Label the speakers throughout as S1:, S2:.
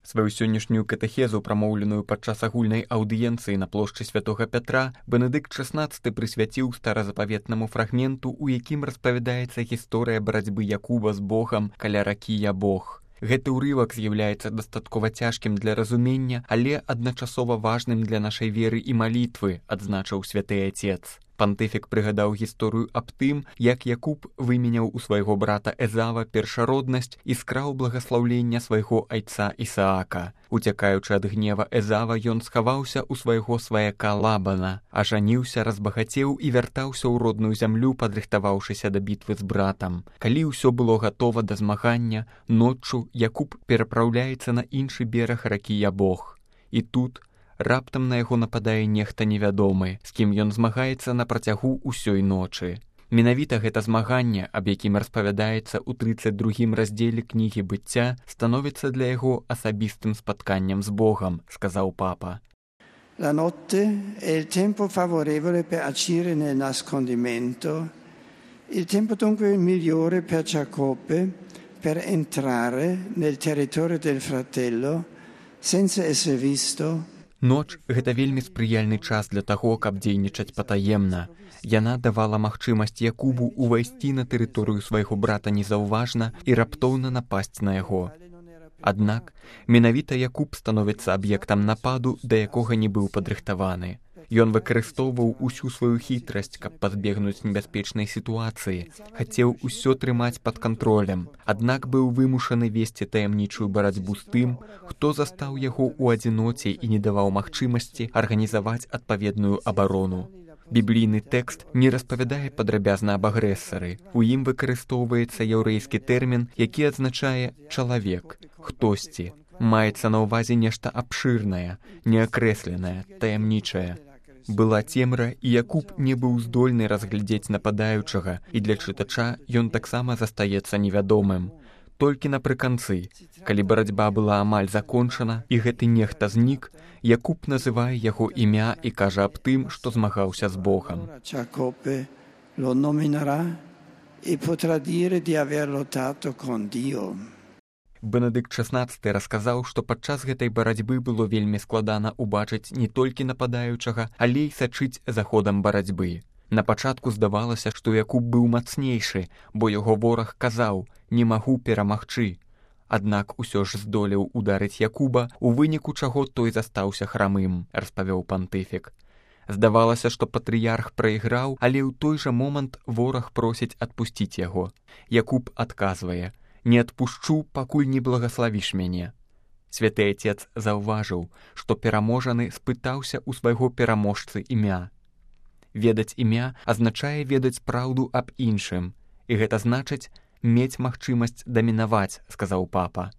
S1: Сваю сённяшнюю катэхезу, прамоўленую падчас агульнай аўдыенцыі на плошчы святога Пятра, Бенедыкт XVI прысвяціў старазапаветнаму фрагменту, у якім распавядаецца гісторыя барацьбы Якуба з Богам каля ракі Ябог. Гэты ўрывак з'яўляецца дастаткова цяжкім для разумення, але адначасова важным для нашай веры і малітвы, адзначыў святы Ацец. Пантыфік прыгадаў гісторыю аб тым, як Якуб выменяў у свайго брата Эзава першароднасць і скраў благаслаўлення свайго айца Ісаака. Уцякаючы ад гнева Эзава, ён схаваўся ў свайго сваяка Лабана, ажаніўся, разбагацеў і вяртаўся ў родную зямлю, падрыхтаваўшыся да бітвы з братам. Калі ўсё было гатова да змагання, ноччу Якуб перапраўляецца на іншы бераг ракі Ябог. І тут раптам на яго нападае нехта невядомы, з кім ён змагаецца на працягу ўсёй ночы. Менавіта гэта змаганне, аб якім распавядаецца ў 32 раздзеле кнігі быцця, становіцца для яго асабістым спатканнем з Богам, сказаў папа.
S2: La notte è il tempo favorevole per agire nel nascondimento, il tempo dunque migliore per Giacobbe per entrare nel territorio del fratello senza essere visto.
S1: Ноч – гэта вельмі спрыяльны час для таго, каб дзейнічаць патаемна. Яна давала магчымасць Якубу ўвайсці на тэрыторыю свайго брата незаўважна і раптоўна напасць на яго. Аднак, менавіта Якуб становіцца аб'ектам нападу, да якога не быў падрыхтаваны. Ён выкарыстоўваў усю сваю хітрасць, каб пазбегнуць небяспечнай сітуацыі, хацеў усё трымаць пад кантролем, аднак быў вымушаны весці таямнічую барацьбу з тым, хто застаў яго ў адзіноце і не даваў магчымасці арганізаваць адпаведную абарону. Біблійны тэкст не распавядае падрабязна аб агрэсары. У ім выкарыстоўваецца яўрэйскі тэрмін, які адзначае «чалавек», «хтосьці». Маецца на ўвазе нешта абшырнае, неакрэсленае, таямнічае. Была цемра, і Якуб не быў здольны разглядзець нападаючага, і для чытача ён таксама застаецца невядомым. Толькі напрыканцы, калі барацьба была амаль закончана, і гэты нехта знік, Якуб называе яго імя і кажа аб тым, што змагаўся з Богом.
S2: Giacobbe lo nominerà e potrà dire di aver lottato con Dio.
S1: Бенедыкт XVI расказаў, што падчас гэтай барацьбы было вельмі складана ўбачыць не толькі нападаючага, але і сачыць за ходам барацьбы. На пачатку здавалася, што Якуб быў мацнейшы, бо яго вораг казаў «не магу перамагчы». Аднак усё ж здолеў ударыць Якуба, у выніку чаго той застаўся храмым, распавёў пантыфік. Здавалася, што патрыярх прайграў, але ў той жа момант вораг просіць адпусціць яго. Якуб адказвае «не адпушчу, пакуль не благаславіш мяне». Святы Ацец заўважыў, што пераможаны спытаўся ў свайго пераможцы імя. Ведаць імя азначае ведаць праўду аб іншым, і гэта значыць мець магчымасць дамінаваць, сказаў папа.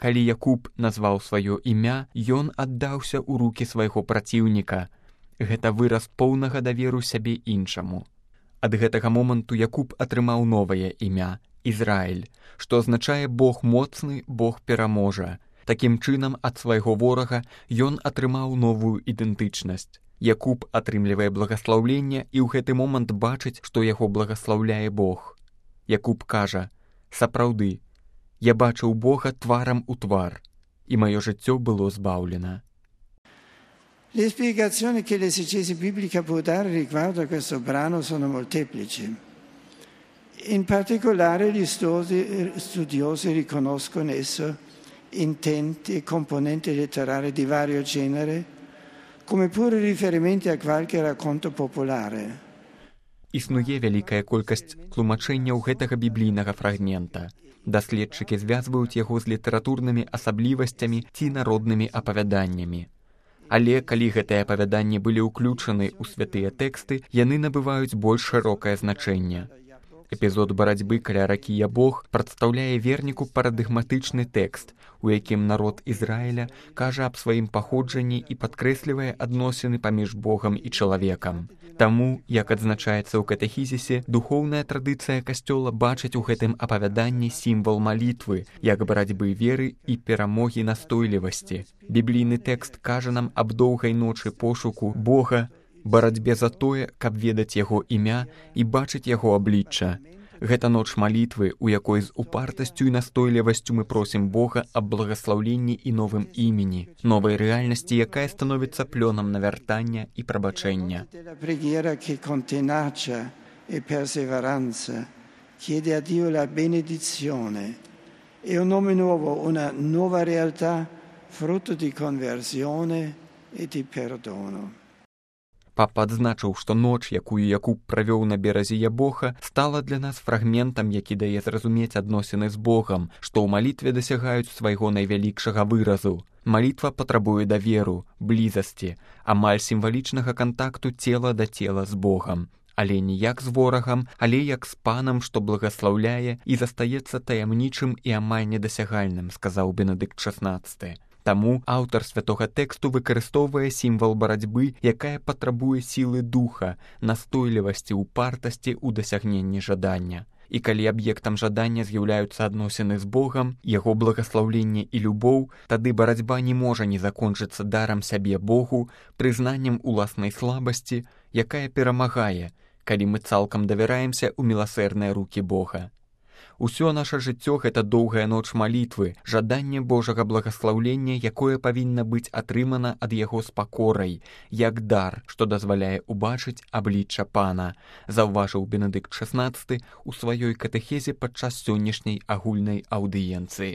S1: Калі Якуб назваў сваё імя, ён аддаўся ў рукі свайго праціўніка. Гэта выраз поўнага даверу сябе іншаму. Ад гэтага моманту Якуб атрымаў новае імя – Ізраіль, што азначае «Бог моцны, Бог пераможа». Такім чынам, ад свайго ворага ён атрымаў новую ідэнтычнасць. Якуб атрымлівае благаслаўленне і ў гэты момант бачыць, што яго благаслаўляе Бог. Якуб кажа «Сапраўды, я бачыў Бога тварам у твар, і маё жыццё было збаўлена».
S2: Le spiegazioni che l'esegesi biblica può dare riguardo a questo brano sono molteplici. In particolare gli studiosi riconoscono esso intenti e componenti letterari di vario genere, come pure riferimenti a qualche racconto popolare.
S1: Існуе вялікая колькасць тлумачэнняў гэтага біблійнага фрагмента. Даследчыкі звязваюць яго з літаратурнымі асаблівасцямі ці народнымі апавяданнямі. Але калі гэтыя апавяданні былі ўключаны ў святыя тэксты, яны набываюць больш шырокае значэнне. Эпізод барацьбы каля ракі Ябог прадстаўляе верніку парадыгматычны тэкст, у якім народ Ізраіля кажа аб сваім паходжанні і падкрэслівае адносіны паміж Богам і чалавекам. Таму, як адзначаецца ў катэхізісе, духоўная традыцыя касцёла бачыць у гэтым апавяданні сімвал малітвы, як барацьбы веры і перамогі настойлівасці. Біблійны тэкст кажа нам аб доўгай ночы пошуку Бога, барацьбе за тое, каб ведаць яго імя і бачыць яго аблічча. Гэта ноч малітвы, у якой з упартасцю і настойлівасцю мы просім Бога аб благаслаўленні і новым імені, новай рэальнасці, якая становіцца плёнам навяртання і прабачэння.
S2: E perseveranza chiede a Dio la benedizione e un nome nuovo, una nuova realtà, frutto di conversione e di perdono.
S1: Папа адзначыў, што ноч, якую Якуб правёў на беразе Ябоха, стала для нас фрагментам, які дае зразумець адносіны з Богам, што ў малітве дасягаюць свайго найвялікшага выразу. Малітва патрабуе даверу, блізасці, амаль сімвалічнага кантакту цела да цела з Богам. Але не як з ворагам, але як з панам, што благаслаўляе і застаецца таямнічым і амаль недасягальным, сказаў Бенедыкт XVI. Таму аўтар святога тэксту выкарыстоўвае сімвал барацьбы, якая патрабуе сілы духа, настойлівасці, упартасці ў дасягненні жадання. І калі аб'ектам жадання з'яўляюцца адносіны з Богам, яго благаслаўленне і любоў, тады барацьба не можа не закончыцца дарам сябе Богу, прызнаннем уласнай слабасці, якая перамагае, калі мы цалкам давяраемся ў міласэрныя рукі Бога. Усё наша жыццё — гэта доўгая ноч малітвы, жаданне Божага благаслаўлення, якое павінна быць атрымана ад яго з пакорай, як дар, што дазваляе убачыць аблічча Пана, заўважыў Бенедыкт XVI у сваёй катэхезе падчас сённяшняй агульнай аўдыенцыі.